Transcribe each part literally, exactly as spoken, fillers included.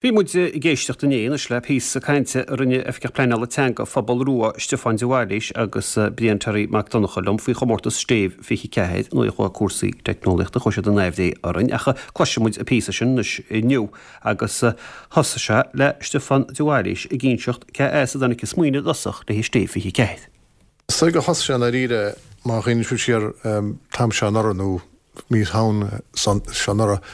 Bhí muid ag éisteacht inné anois le píosa cainte a rinne Oifigeach Pleanála Teanga Phobal Rua Stiofán de Bhailís agus Brian Terry Mac Donncha liom faoi chomórtas Stéibh fiche ceathair nó chuaigh cúrsaí teicneolaíochta chuaigh siad in aimhréidh orainn ach cloisfidh muid an píosa sin anois inniu agus thosaigh sé le Stiofán de Bhailís ag inseacht cé as a dtáinig an smaoineamh i dtosach le Stéibh fiche ceathair. Sa go thosaigh sé dáiríre má chuimhníonn sibh siar t-am seo anuraidh nó mí Shamhna seo anuraidh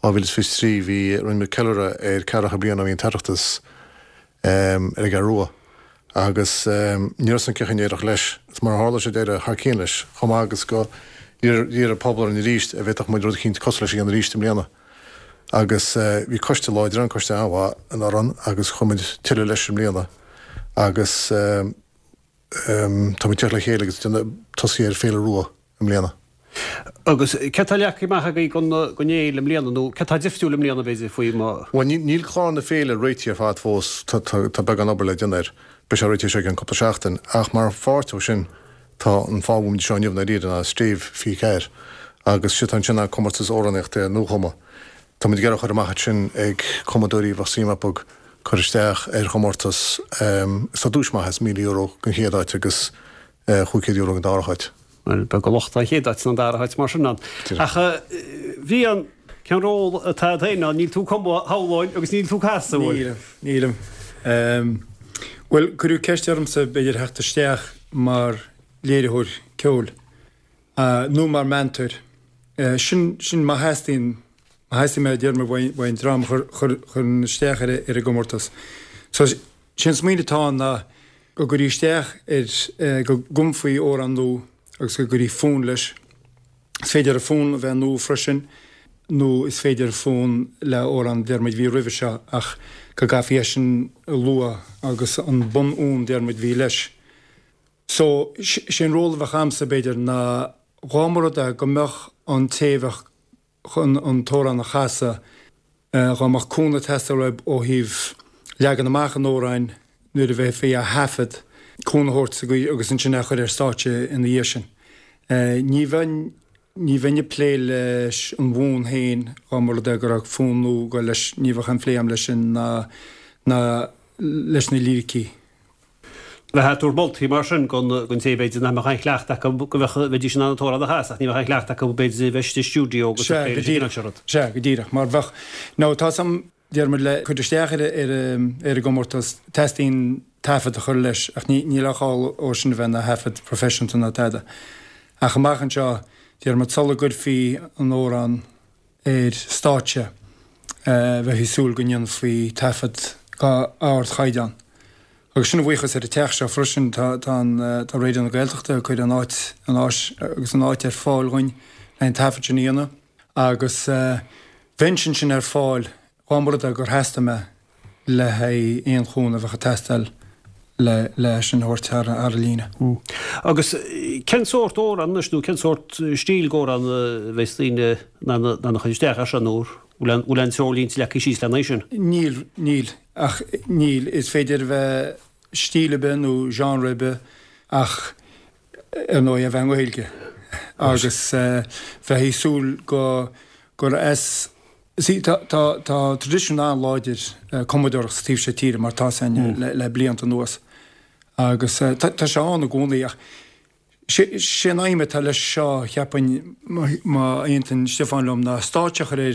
dhá mhíle is fiche trí bhí rinne muid ceiliúradh ar ceathracha bliain ó bhí an tOireachtas ar an gCeathrú Rua agus ní raibh san cén chaoi a n-éireodh leis is mar a tharla sé d'éirigh thar cionn leis chomh maith agus go d'iarr an pobal orainn arís an bhféadfadh muid rud eicínt cosúil leis a dhéanamh arís i mbliana agus bhí coiste láidir ann, coiste an-mhaith anuraidh agus chuir muid tuilleadh leis i mbliana agus tá muid ag teacht le chéile agus tosaí ar Féile Rua i mbliana. Agus cé tá leagtha amach agaibh don don fhéile i mbliana nó cé tá difriúil i mbliana b'fhéidir faoi má. Bhuel níl clár na féile réitithe ar fad fós, tá beagán obair le déanamh air. Beidh sé réitithe seo i gceann cúpla seachtain ach mar pháirt ó sin tá an fáth a bhfuil muid anseo inniu dáiríre ná Stéibh fiche ceathair agus sé atá ansin ná comórtas amhránaíochta nuachumtha. Tá muid ag iarraidh a chur amach ansin ag cumadóirí a bheadh suim acu cur isteach ar chomórtas is tá duais maith is míle euro don chéad áit agus chúig chéad euro don dara háit. Bhuel, beag an locht an chéad áit ná an dara háit mar sin ann. Ach bhí an cén ról atá agat féin ann? Níl tú ag cumadh shamhlóinn agus níl tú ag casadh, bhfuil? Nílim, nílim. Bhuel, cuireadh ceist ormsa b'fhéidir theacht isteach mar léiritheoir ceoil nó mar meantóir. Sin, sin má theastaíonn, má theastaíonn mé déarfaidh mé uaidh an dream a chuireann isteach ar an gcomórtas. So, sé an smaoineamh atá ann ná go gcuirí isteach ar, go gcumfaí amhrán nua agus go gcuirí fonn leis. Is féidir an fonn a bheith nua freisin nó is féidir fonn le amhrán déarfaidh muid a bhí roimhe seo ach go gcaithfí é sin a lua agus an bunfhonn déarfaidh muid a bhí leis. So, sé an ról a bheadh a'msa b'fhéidir ná dhá mba rud é go mbeadh an té a bheadh chun an t-amhrán a chasadh, dhá mbeadh cúnamh ag teastáil uaidh ó thaobh leagan amach an amhráin nuair a bheifí á thaifead, cúnamh a thabhairt sa gcaoi agus ansin é a chur ar stáitse ina dhiaidh sin. Ní bheinn, ní bheinn ag plé leis an bhfonn féin dhá mba rud é go raibh fonn nua ag goil leis, ní bheadh aon phlé agam leis sin ná, ná leis na líricí. Bheifeá ag tabhairt moltaí mar sin don té b'fhéidir nach mbeadh aon chleachtadh acu go mbeadh, bheidís in ann an t-amhrán a chasadh ach ní bheadh aon chleachtadh acu b'fhéidir a bheith istigh i stiúideo agus ag plé leis an gcineál seo rud. Sea, go díreach, mar bheadh, nó tá 's a'm, déarfaidh muid le cur isteach ar ar an gcomórtas, teastaíonn taifead a chur leis ach ní níl aon chall ó sin a bheith ina thaifead proifisiúnta ná tada. Ach amach anseo, déarfaidh muid sula gcuirfí an amhrán ar stáitse, bheifí ag súil go ndéanfaí taifead d'ardchaighdeán. Agus sin a bhuíochas ar an teach seo freisin, tá tá an tá Raidió na Gaeltachta ag cur an áit an áis agus an áit ar fáil dhuinn le an taifead sin a dhéanamh. Agus bheinnse ansin ar fáil dhá mba rud é gur theastaigh mé le haghaidh aon chúnamh a bheadh ag teastáil le le sin a thabhairt thar thar an líne. Agus cén sórt amhrán anois nó cén sórt stíl d'amhrán a bheas daoine in ann a chur isteach air seo nó bhfuil bhfuil aon treoirlínte leagtha síos lena aghaidh sin? Níl, níl, ach níl. Is féidir a bheith stíl ar bith nó genre ar bith ach ar ndóigh a bheith i nGaeilge agus bheifí ag súil go gur as See, tá tá tá traidisiún an-láidir cumadóireacht sa taobh seo tíre mar tá sé le le blianta anuas agus tá tá sé ann i gcónaí ach sé sé an aidhm atá leis seo cheapfainn má aontaíonn Stiofán liom ná stáitse a chur ar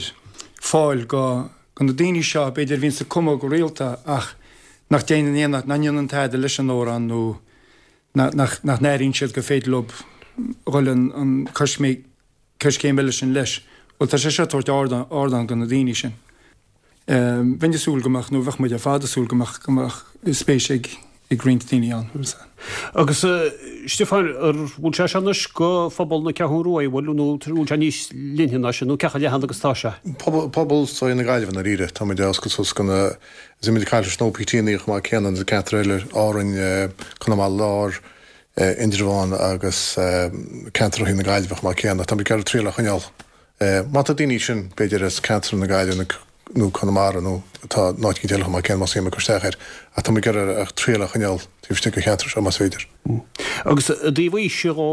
fáil go go na daoine seo b'fhéidir a bhíonns ag cumadh go rialta ach nach déanann aon nach ndéanann tada leis an amhrán nó nach nach nach n-airíonn siad gur féidir leo dhul an an coisméig coiscéim eile sin leis. Bhuel, tá sé seo ag tabhairt ardán, ardán do na daoine sin. Bheinn ag súil go mbeadh, nó bheadh muid ar fad ag súil go mbeadh, go mbeadh spéis ag, ag roinnt daoine ann. Agus Stiofán, ar bhfuil sé seo anois go phobal na Ceathrún Rua, an bhfuil, nó bhfuil sé níos leithne ná sin, nó cé chomh leathan agus atá sé? Pobal, pobal seo na Gaillimhe i ndáiríre. Tá muid ag oscailt suas go na, is muid ag caint leis na OPT-anna chomh maith céanna na ceantair eile, Árainn, Conamara Láir, Indreabhán agus ceantar ó thaobh na Gaillimhe chomh maith céanna. Tá muid ag iarraidh triail a choinneáil. Má tá daoine sin, b'fhéidir as ceantar na Gaillimhe, nó Conamara nó tá in áit eile chomh maith céanna más suim acu isteach air ach tá muid ag iarraidh ach triail a choinneáil taobh istigh den cheantar seo más féidir. Agus i dtaobh aoise dhó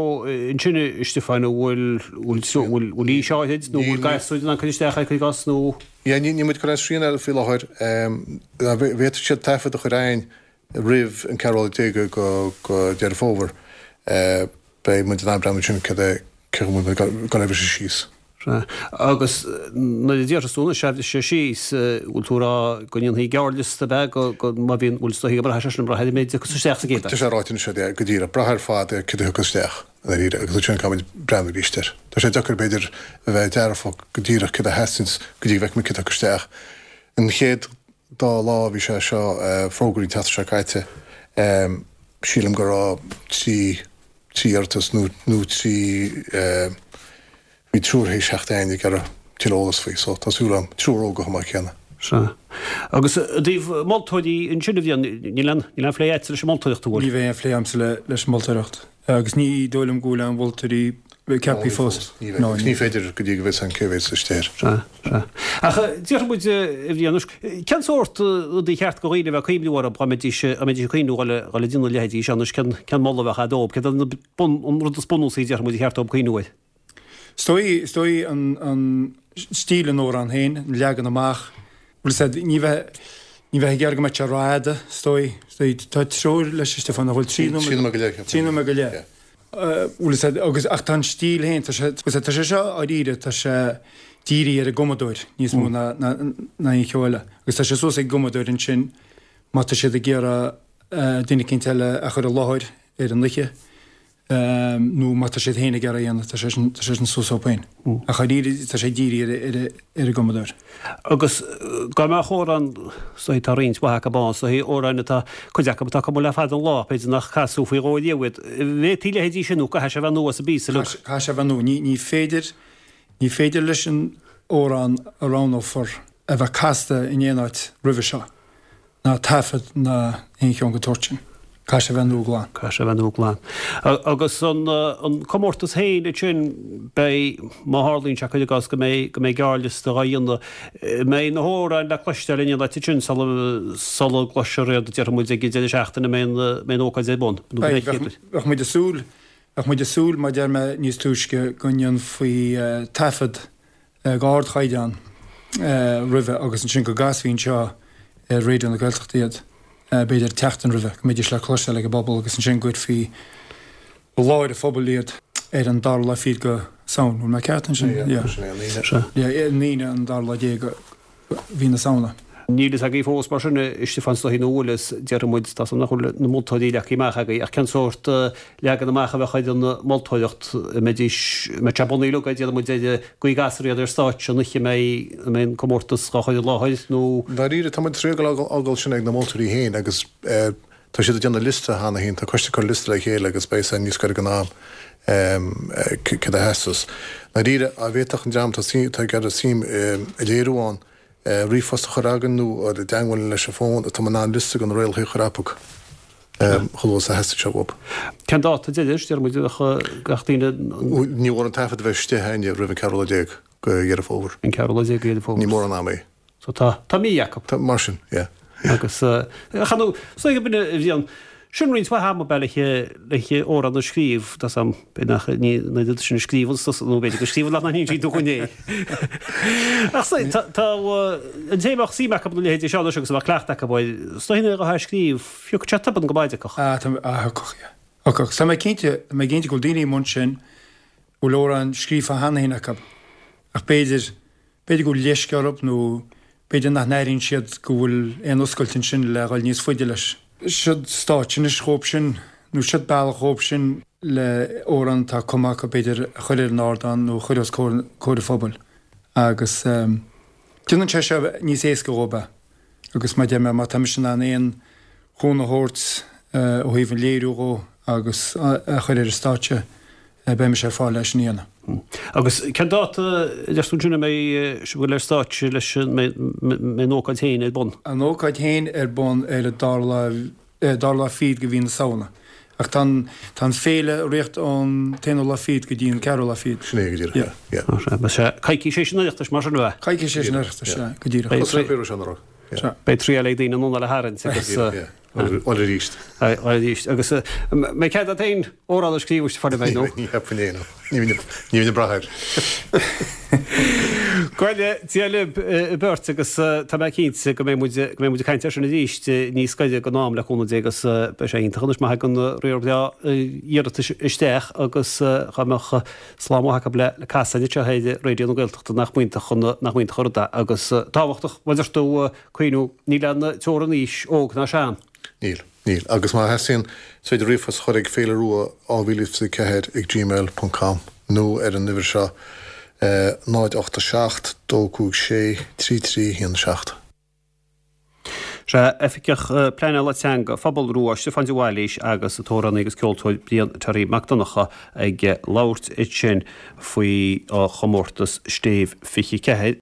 ansin a Stiofáin an bhfuil bhfuil bhfuil aois áirid nó bhfuil gasúir in ann cur isteach air cuir i gcás nó? Yeah ní níl muid ag cur aon srian air faoi láthair. Bhféadfadh siad taifead a chur againn roimh an ceathrú lá déag go Deireadh Fómhair. Beidh muid in ann breathnú ansin cad é cé chomh bhfuil muid ag dul a bhriseadh síos. Sea. Agus nuair a déarfas tú anois, a bhriseadh síos, bhfuil tú ag rá go ndéanfaí gearrliosta ab ea, go, go, má bhíonn, bhfuil is dóichí go mbraithfidh sé sin, ag brath ar an méid a thiocfas isteach sa gcéad áit? Tá sé ráite anois, yeah, go díreach. Brath ar fad ar cad a thiocfas isteach, i ndáiríre, agus ansin caithfimid breathnú arís air. Tá sé deacair, b'fhéidir, a bheith dearfach go díreach cad a theastaíonns go dtí go bhfeicfimid cad a thiocfas isteach. An chéad dá lá a bhí sé seo fógraithe an tseachtain seo caite, sílim go raibh trí, trí iarratas nó, nó trí, bhí triúr théis theacht againn ag iarraidh tuilleadh eolas faoi so tá súil agam, triúr óga chomh maith céanna. Sea. Agus i dtaobh moltóirí ansin a Bhriain, níl aon, níl aon phlé agatsa leis an moltóireacht, an bhfuil? Ní bheidh aon phlé agamsa le, leis an moltóireacht agus ní dóigh liom go bhfuil aon mholtóirí ceaptha fós. Ní bheidh. Agus ní féidir go dtí go bhfios againn cé mhéad sa stéir. Sea, sea. Ach déarfaidh muid, a Bhriain, anois, cén sórt rudaí ba cheart do dhaoine a bheith ag cuimhniú orthu dá mbeidís, dá mbeidís ag cuimhniú dhul a, dhul a déanamh a leithéidí seo anois, cén, cén moladh a bheadh agat dóibh, céard an bun, an rud is bunúsaí a déarfaidh muid ba cheart dóibh cuimhniú air? Is dóigh, is dóigh an, an stíl an amhráin féin, an leagan amach, bhfuil fhios a'd, ní bheith, ní bheith ag iarraidh go mbeadh sé rófhada, is dóigh, is dóigh, tá treoir leis a Stiofáin, nach bhfuil, trí nóiméad, Trí nóiméad go leith, trí nóiméad go leith. Bhfuil fhios a'd, agus, ach tá an stíl féin, tá sé, bhfuil fhios a'd, tá sé seo dháiríre, tá sé dírithe ar an gcumadóir níos mó ná, ná, ná aon cheo eile. Agus tá sé suas ag an gcumadóir ansin má tá siad ag iarraidh duine eicínt eile a chur i láthair ar an oíche. nó má tá siad féin ag iarraidh a dhéanamh, tá sé sin, tá sé sin suas dóibh féin. Ach dháiríre, tá sé dírithe ar, ar, ar an gcumadóir. Agus dá mbeadh amhrán, is dóigh tá roinnt mhaith acu ann, is dóigh amhráin atá, cuid acu atá cumtha le fada an lá, b'fhéidir nach casadh faoi dhó riamh iad. Bhféadfaí leithéidí sin nó caithfidh sé a bheith nua sa bpíosa uilig? Caithfidh sé a bheith nua. Ní, ní féidir, ní féidir leis an amhrán a roghnófar a bheith casta in aon áit roimhe seo. ná taifead ná aon cheann den tsórt sin. Caithfidh sé a bheith nua glan. Caithfidh sé a bheith nua glan. Agus an an comórtas féin ansin, beidh, má tharlaíonn sé, cuir i gcás go mbeidh, go mbeidh gearrliosta dhá dhéanamh, mbeidh na hamhráin le cloisteáil in aon áit ansin sula, sula gcloisfear iad, déarfaidh muid, ag an deireadh seachtaine a mbeidh an, mbeidh an ócáid ar bun, nó Beidh, bheadh, bheadh muid ag súil, bheadh muid ag súil, mar a deir mé níos túisce, go ndéanfaí taifead ag ardchaighdeán roimhe agus ansin go gcasfaí anseo ar Raidió na Gaeltachta iad, b'fhéidir tseachtain roimhe, go mbeidís le cloisteáil ag an bpobal agus ansin go gcuirfí i láthair an phobail iad ar an dara lá fichead go Samhain. Bhfuil mé ceart ansin? Yeah, sin é an Aoine. Yeah, an Aoine an dara lá déag mhí na Samhna. Níl fhios agaibh fós mar sin, a Stiofáin, is dóichí, nó bhfuil fhios, déarfaidh muid, tá 's agam nach bhfuil na moltóirí leagtha amach agaibh, ach cén sórt leagan amach a bheadh ar an moltóireacht, an mbeidís, an mbeadh sé bunaithe uilig, déarfaidh muid, ar an gcaoi a gcasfar iad ar stáitse an oíche a mbeidh, a mbeidh an comórtas dhá chur i láthair, nó. Dáiríre, tá muid tar éis a fhágáil sin ag na moltóirí féin agus tá siad ag déanamh liosta cheana féin, tá coiste ag cur liosta le chéile agus beidh san níos gaire don am céard a theastas. Dáiríre, dá bhféadfadh an dream atá ag iarraidh suim a léiriú ann, ríomhphost a chur againn nó i dteangmháil leis an bhfón, tá muid in ann liosta de na rialacha a chur acu chomh luath is a theastaigh sé uathu. Cén dáta deiridh, deir muid, a bheadh gach duine? Ní mór an taifead a bheith istigh againn roimh an ceathrú lá déag de Dheireadh Fómhair. An ceathrú lá déag de Dheireadh Fómhair. Ní mór an am é. So tá, tá mí acu. Tá, mar sin, yeah. Agus, chan, so ag an bhfuil a bhíonn, Sin roinnt mhaith ama ab ea le hamhrán a scríobh, tá 's a'm, b'fhéidir nach ní an oiread sin a scríobhann tusa, nó b'fhéidir go scríobhann ach nach n-insíonn tú dhúinn é. Ach so, tá, tá, an té a mbeadh suim acu ina leithéidí seo anois agus a mbeadh cleachtadh acu air, is dóigh nuair atá á scríobh, thiocfadh sé tobann go maith acu. Ah, tá, ah, thiocfadh, yeah. Thiocfadh. Tá mé cinnte, tá mé cinnte go bhfuil daoine amuigh ansin a bhfuil amhráin scríofa cheana féin acu, ach b'fhéidir, B'fhéidir go bhfuil leisce orthu nó b'fhéidir nach n-airíonn siad go bhfuil aon oscailt ansin le dhul níos faide leis. Siod stáitse anois dhóibh sin nó siod bealach dhóibh sin le amhrán atá cumtha acu b'fhéidir a chur ar an ardán nó a chur os comhair an phobail agus déanann sé seo níos éasca dhóibh é agus mar a deir mé má tá mise in ann aon chúnamh a thabhairt ó thaobh an léiriú dhó agus a chur ar an stáitse beidh mise ar fáil leis sin a dhéanamh. Agus cén dáta a deir tú ansin a mbeidh sibh ag dul ar stáitse leis an mbeidh an ócáid féin ar bun? An ócáid féin ar bun ar an dara lá, dara lá fichead de mhí na Samhna Ach tá an, tá an féile ag rith ón t-aonú lá fichead go dtí an ceathrú lá fichead. Sin é go díreach, yeah. Yeah. Beidh sé coicís théis an Oireachtais mar sin a bheith. Coicís théis an Oireachtais, sea, go díreach. Beidh Thosaigh an féile seo anuraidh. Yeah. Sea. Beidh triail ag daoine anonn le harraingt agus Yeah. Bhuel arís. arís. Agus mbeidh cead agat féin amhrán a scríobh Stiofáin an mbeidh nó? Ní cheapfainn é, no. Ní bhíonn ag brath air. Go raibh Dia libh beirt agus tá mé cinnte go mbeidh muid go mbeidh muid ag caint air sin arís níos gaire don am le cúnamh Dé agus beidh sé iontach anois má thagann riar breá iarratais isteach agus dá mbeadh slám maith acu le casadh anseo ar Raidió na Gaeltachta nach mb'iontach an nach mb'iontach an rud é agus tábhachtach mar a deir tú cuimhniú níl aon teorainn aois óg ná sean. Níl, níl. Agus má theastaíonn, is féidir ríomhphost a chur ag féile rua dhá mhíle is fiche ceathair ag gmail ponc com nó ar an uimhir seo, náid ocht a seacht, dó cúig sé, trí trí haon seacht. Sea, Oifigeach Pleanála Teanga Phobal Rua, Stiofán de Bhailís agus an t-amhránaí agus ceoltóir Brian Terry Mac Donncha ag labhairt ansin faoi chomórtas Stéibh fiche ceathair.